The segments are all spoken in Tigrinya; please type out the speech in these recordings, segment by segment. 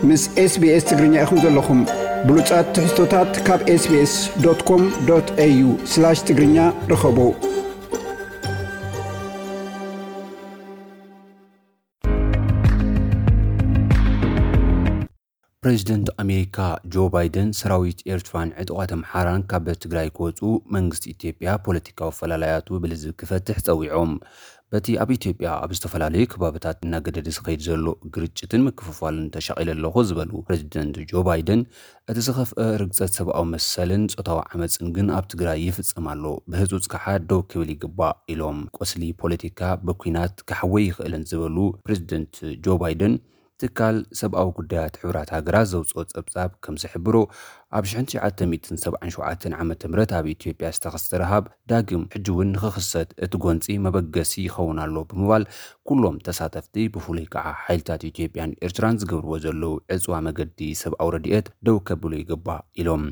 ምስ SBS ትግርኛ ኢኹም ዘለኹም። ብሉጻት ትሕዝቶታት ካብ SBS.com.au/ትግርኛ ርኸቡ። ፕሬዚደንት ኣሜሪካ ጆ ባይደን ሰራዊት ኤርትራን ዕጡቓት ኣምሓራን ካብ ትግራይ ክወፁ መንግስቲ ኢትዮጵያ ፖለቲካዊ ፈላላያቱ ብልዝብ ክፈትሕ ፀዊዖም። በቲ ኣብ ኢትዮጵያ ኣብ ዝተፈላለዩ ከባብታት እናገደደ ዝኸይድ ዘሎ ግርጭትን ምክፍፋልን ተሻቒለ ኣለኹ ዝበሉ ፕሬዚደንት ጆ ባይደን፣ እቲ ዝኸፍአ ርግፀት ሰብኣዊ መሰልን ፆታዊ ዓመፅን ግን ኣብ ትግራይ ይፍፀም ኣሎ፣ ብህፁፅ ከዓ ደው ክብል ይግባእ ኢሎም። ቁስሊ ፖለቲካ ብኲናት ክሓወይ ይኽእልን ዝበሉ ፕሬዚደንት ጆ ባይደን፣ ትካል ሰብኣዊ ጉዳያት ሕቡራት ሃገራት ዘውፅኦ ፀብፃብ ከም ዝሕብሮ፣ ኣብ ሽሕን ትሽዓተ ሚእትን ሰብዓን ሸውዓተን ዓመተ ምህረት ኣብ ኢትዮጵያ ዝተኸስተ ረሃብ ዳግም ሕጂ እውን ንኽኽሰት እቲ ጎንፂ መበገሲ ይኸውን ኣሎ ብምባል፣ ኩሎም ተሳተፍቲ ብፍሉይ ከዓ ሓይልታት ኢትዮጵያን ኤርትራን ዝገብርዎ ዘለዉ ዕፅዋ መገዲ ሰብኣዊ ረድኤት ደው ከብሉ ይግባእ ኢሎም።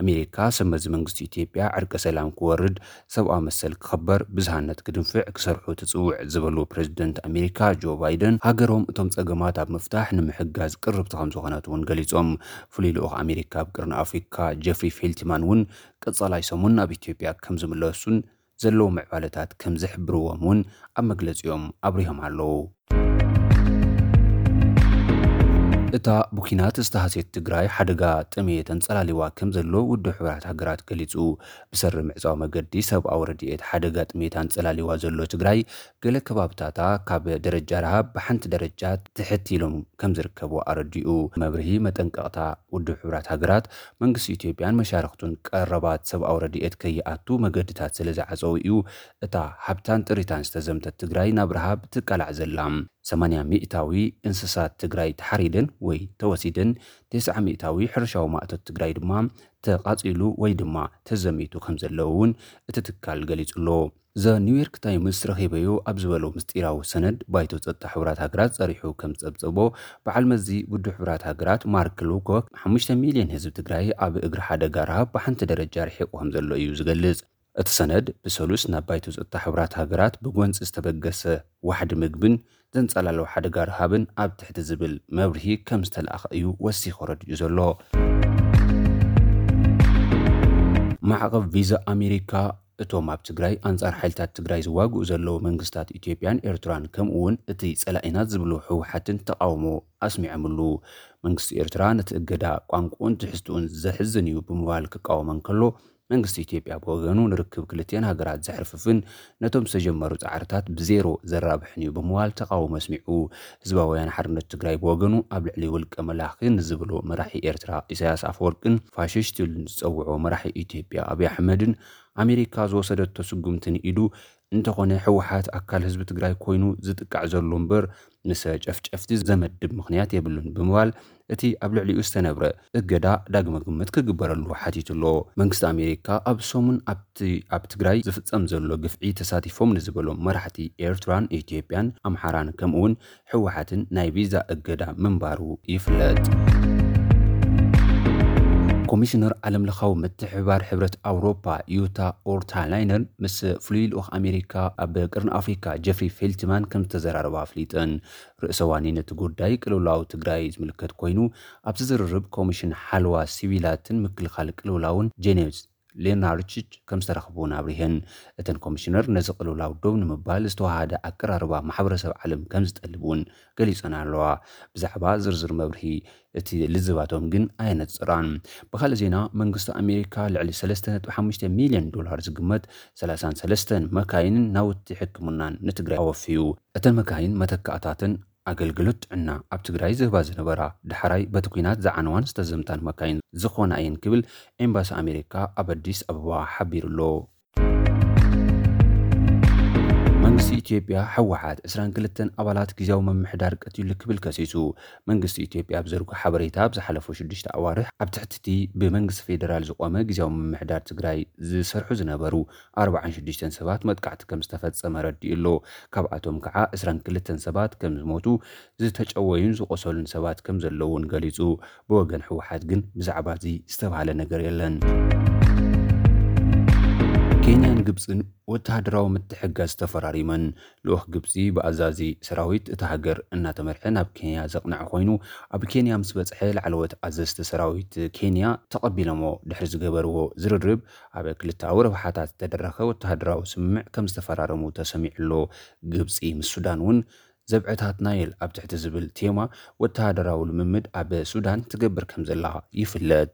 ኣሜሪካ ሰብ መዚ መንግስቲ ኢትዮጵያ ዕርቀ ሰላም ክወርድ፣ ሰብኣዊ መሰል ክኽበር፣ ብዝሃነት ክድንፍዕ ክሰርሑ ትጽውዕ ዝበሉ ፕሬዚደንት ኣሜሪካ ጆ ባይደን፣ ሃገሮም እቶም ጸገማት ኣብ ምፍታሕ ንምሕጋዝ ቅርብቲ ከም ዝኾነት እውን ገሊጾም። ፍሉይ ልኡኽ ኣሜሪካ ኣብ ቅርኒ ኣፍሪካ ጀፍሪ ፌልትማን እውን ቀጻላይ ሰሙን ናብ ኢትዮጵያ ከም ዝምለሱን ዘለዉ ምዕባለታት ከም ዝሕብርዎም እውን ኣብ መግለጺኦም ኣብሪሆም ኣለዉ። እታ ብኲናት ዝተሃስየት ትግራይ ሓደጋ ጥሜት ኣንጸላሊዋ ከም ዘሎ ውድብ ሕቡራት ሃገራት ገሊጹ። ብሰሪ ምዕጻው መገዲ ሰብኣዊ ረድኤት ሓደጋ ጥሜት ኣንጸላሊዋ ዘሎ ትግራይ፣ ገለ ከባብታታ ካብ ደረጃ ረሃብ ብሓንቲ ደረጃ ትሕት ኢሎም ከም ዝርከቡ ኣረዲኡ። መብርሂ መጠንቀቕታ ውድብ ሕቡራት ሃገራት፣ መንግስቲ ኢትዮጵያን መሻርኽቱን ቀረባት ሰብኣዊ ረድኤት ከይኣቱ መገድታት ስለ ዝዓጸው እዩ እታ ሃብታን ጥሪታን ዝተዘምተት ትግራይ ናብ ረሃብ ትቃላዕ ዘላ። ሰማንያ ሚእታዊ እንስሳት ትግራይ ተሓሪደን ወይ ተወሲደን፣ ተስዓ ሚእታዊ ሕርሻዊ ማእቶት ትግራይ ድማ ተቓጺሉ ወይ ድማ ተዘሚቱ ከም ዘለዉ እውን እቲ ትካል ገሊጹ ኣሎ። ዘ ኒውዮርክ ታይምስ ረኺበዮ ኣብ ዝበሎ ምስጢራዊ ሰነድ፣ ባይቶ ጸጥታ ሕቡራት ሃገራት ጸሪሑ ከም ዝጸብጸቦ፣ በዓል መዚ ውድብ ሕቡራት ሃገራት ማርክ ሎኮክ፣ ሓሙሽተ ሚልዮን ህዝቢ ትግራይ ኣብ እግሪ ሓደጋ ረሃብ ብሓንቲ ደረጃ ርሒቑ ከም ዘሎ እዩ ዝገልጽ። እቲ ሰነድ ብሰሉስ ናብ ባይቶ ጸጥታ ሕቡራት ሃገራት ብጎንጺ ዝተበገሰ ዋሕዲ ምግብን ዘንጸላልዎ ሓደጋ ረሃብን ኣብ ትሕቲ ዝብል መብርሂ ከም ዝተላእኸ እዩ ወሲኹ ረዲኡ ዘሎ። ማዕቐብ ቪዛ ኣሜሪካ እቶም ኣብ ትግራይ ኣንጻር ሓይልታት ትግራይ ዝዋግኡ ዘለዉ መንግስታት ኢትዮጵያን ኤርትራን፣ ከምኡ እውን እቲ ጸላኢና ዝብሉ ህወሓትን ተቓውሞ ኣስሚዖምሉ። መንግስቲ ኤርትራ ነቲ እገዳ ቋንቋኡን ትሕዝትኡን ዘሕዝን እዩ ብምባል ክቃወም እንከሎ፣ መንግስቲ ኢትዮጵያ ብወገኑ ንርክብ ክልቲአን ሃገራት ዘሕርፍፍን ነቶም ዝተጀመሩ ጻዕርታት ብዜሮ ዘራብሕን እዩ ብምባል ተቓውሞ ኣስሚዑ። ህዝባዊ ወያነ ሓርነት ትግራይ ብወገኑ ኣብ ልዕሊ ውልቀ መላኺ ንዝብሎ መራሒ ኤርትራ ኢሳያስ ኣፈወርቅን ፋሽስት ኢሉ ንዝጸውዖ መራሒ ኢትዮጵያ ኣብይ ኣሕመድን ኣሜሪካ ዝወሰደቶ ስጉምቲ ንኢዱ፣ እንተኾነ ህወሓት ኣካል ህዝቢ ትግራይ ኮይኑ ዝጥቃዕ ዘሎ እምበር ምስ ጨፍጨፍቲ ዘመድብ ምኽንያት የብሉን ብምባል እቲ ኣብ ልዕሊኡ ዝተነብረ እገዳ ዳግመ ግምት ክግበረሉ ሓቲቱ ኣሎ። መንግስቲ ኣሜሪካ ኣብ ሰሙን ኣብቲ ኣብ ትግራይ ዝፍጸም ዘሎ ግፍዒ ተሳቲፎም ንዝበሎም መራሕቲ ኤርትራን ኢትዮጵያን ኣምሓራን ከምኡውን ህወሓትን ናይ ቪዛ እገዳ ምንባሩ ይፍለጥ። ኮሚሽነር ዓለምለኻዊ ምትሕብባር ሕብረት ኣውሮፓ ዩታ ኦርታላይነር ምስ ፍሉይ ልኡኽ ኣሜሪካ ኣብ ቅርኒ ኣፍሪካ ጀፍሪ ፌልትማን ከም ዝተዘራረባ ኣፍሊጠን። ርእሰ ዋኒን እቲ ጉዳይ ቅልውላው ትግራይ ዝምልከት ኮይኑ፣ ኣብዚ ዝርርብ ኮሚሽን ሓለዋ ሲቪላትን ምክልኻል ቅልውላውን ጄኔቭ ሌናርችች ከም ዝተረኽቡ እውን ኣብሪሀን። እተን ኮሚሽነር ነዚ ቅልውላው ደው ንምባል ዝተዋሃደ ኣቀራርባ ማሕበረሰብ ዓለም ከም ዝጠልብ እውን ገሊጸን ኣለዋ። ብዛዕባ ዝርዝር መብርሂ እቲ ልዝባቶም ግን ኣየነጽራን። ብኻልእ ዜና፣ መንግስቲ ኣሜሪካ ልዕሊ ሰለስተ ነጥቢ ሓሙሽተ ሚልዮን ዶላር ዝግመት ሰላሳን ሰለስተን መካይንን ናውቲ ሕክምናን ንትግራይ ኣወፍዩ። እተን መካይን መተካእታትን ኣገልግሎት ጥዕና ኣብ ትግራይ ዝህባ ዝነበራ፣ ዳሕራይ በቲ ኲናት ዝዓነዋን ዝተዘምታን መካይን ዝኾና እየን ክብል ኤምባሲ ኣሜሪካ ኣብ ኣዲስ ኣበባ ሓቢሩ ኣሎ። መንግስቲ ኢትዮጵያ፣ ህወሓት ዕስራን ክልተን ኣባላት ግዝያዊ ምምሕዳር ቀቲሉ ክብል ከሲሱ። መንግስቲ ኢትዮጵያ ኣብ ዘርጎ ሓበሬታ፣ ኣብ ዝሓለፉ ሽዱሽተ ኣዋርሕ ኣብ ትሕቲ እቲ ብመንግስቲ ፌደራል ዝቖመ ግዝያዊ ምምሕዳር ትግራይ ዝሰርሑ ዝነበሩ ኣርባዓን ሽዱሽተን ሰባት መጥቃዕቲ ከም ዝተፈጸመ ረዲኡ ኣሎ። ካብኣቶም ከዓ ዕስራን ክልተን ሰባት ከም ዝሞቱ፣ ዝተጨወዩን ዝቆሰሉን ሰባት ከም ዘለዉን ገሊጹ። ብወገን ህወሓት ግን ብዛዕባ እዚ ዝተባህለ ነገር የለን። ኬንያን ግብፅን ወተሃደራዊ ምትሕጋዝ ተፈራሪመን። ልኡኽ ግብፂ ብኣዛዚ ሰራዊት እታ ሃገር እናተመርሐ ናብ ኬንያ ዘቕንዐ ኮይኑ፣ ኣብ ኬንያ ምስ በፅሐ ላዕለዎት ኣዘዝቲ ሰራዊት ኬንያ ተቐቢሎሞ። ድሕሪ ዝገበርዎ ዝርርብ ኣብ ክልተኣዊ ረብሓታት ዝተደረኸ ወተሃደራዊ ስምምዕ ከም ዝተፈራረሙ ተሰሚዑ ኣሎ። ግብፂ ምስ ሱዳን እውን ዘብዐታት ናይል ኣብ ትሕቲ ዝብል ቴማ ወተሃደራዊ ልምምድ ኣብ ሱዳን ትገብር ከም ዘላ ይፍለጥ።